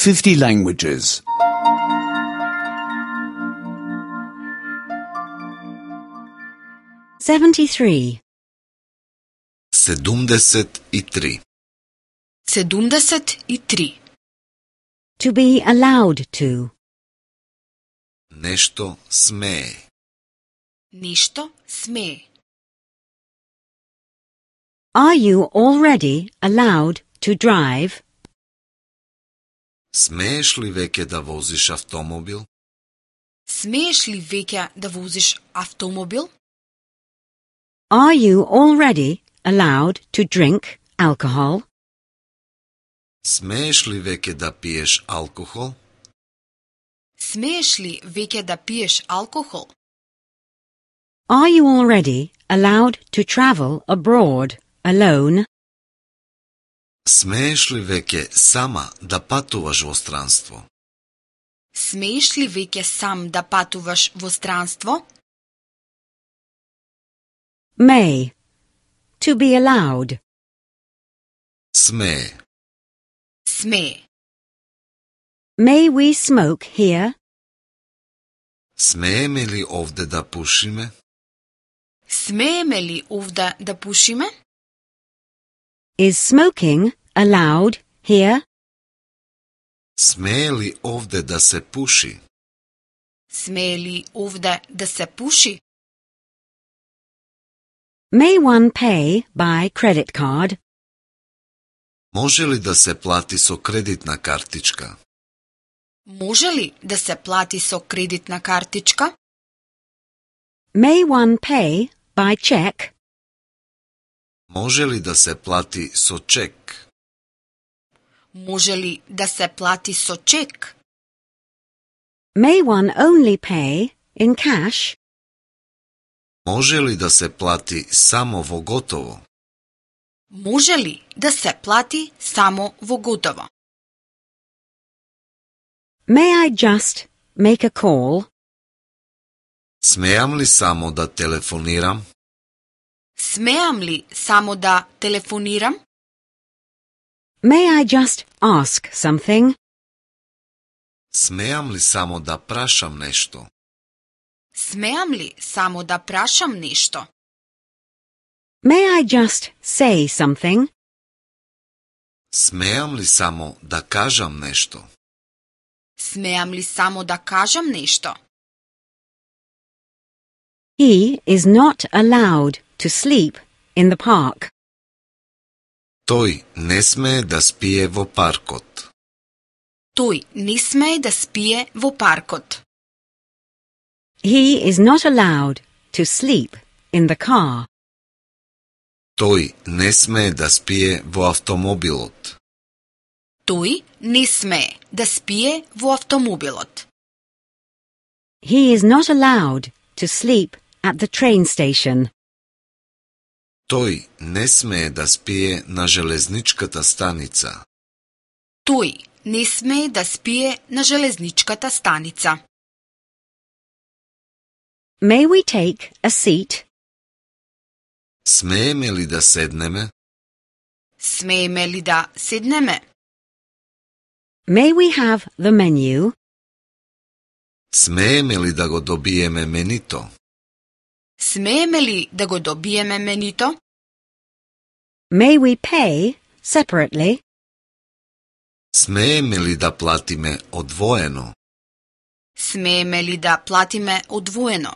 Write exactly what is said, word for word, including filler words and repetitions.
fifty languages. seventy-three. седумдесет и три. седумдесет и три. To be allowed to. Нешто смее. Нешто смее. Are you already allowed to drive? Смееш ли веќе да возиш автомобил? Смееш ли веќе да возиш автомобил? Are you already allowed to drink alcohol? Смееш ли веќе да пиеш алкохол? Смееш ли веќе да пиеш алкохол? Are you already allowed to travel abroad alone? Смееш ли веќе сама да патуваш во странство? Смееш ли веќе сам да патуваш во странство? May. To be allowed. Смее. Смее. May we smoke here? Смееме ли овде да пушиме? Смееме ли овде да пушиме? Is smoking allowed here? Смее ли овде да се пуши? Смее ли овде да се пуши? May one pay by credit card? Може ли да се плати со кредитна картичка? Може ли да се плати со кредитна картичка? May one pay by check? Може ли да се плати со чек? Може ли да се плати со чек? May one only pay in cash? Може ли да се плати само во готово? Може ли да се плати само во готово? May I just make a call? Смеам ли само да телефонирам? Смеам ли само да телефонирам? May I just ask something? Смеам ли само да прашам нешто? Смеам ли само да прашам нешто? May I just say something? Смеам ли само да кажам нешто? Смеам ли само да кажам нешто? He is not allowed to sleep in the park. Тој не смее да спие во паркот. Тој не смее да спие во паркот. He is not allowed to sleep in the car. Тој не смее да спие во автомобилот. Тој не смее да спие во автомобилот. He is not allowed to sleep at the train station. Тој не смее да спие на железничката станица. Тој не смее да спие на железничката станица. May we take a seat? Смееме ли да седнеме? Смееме ли да седнеме? May we have the menu? Смееме ли да го добиеме менито? Смееме ли да го добиеме менито? May we pay separately? Смееме ли да платиме одвоено? Смееме ли да платиме одвоено?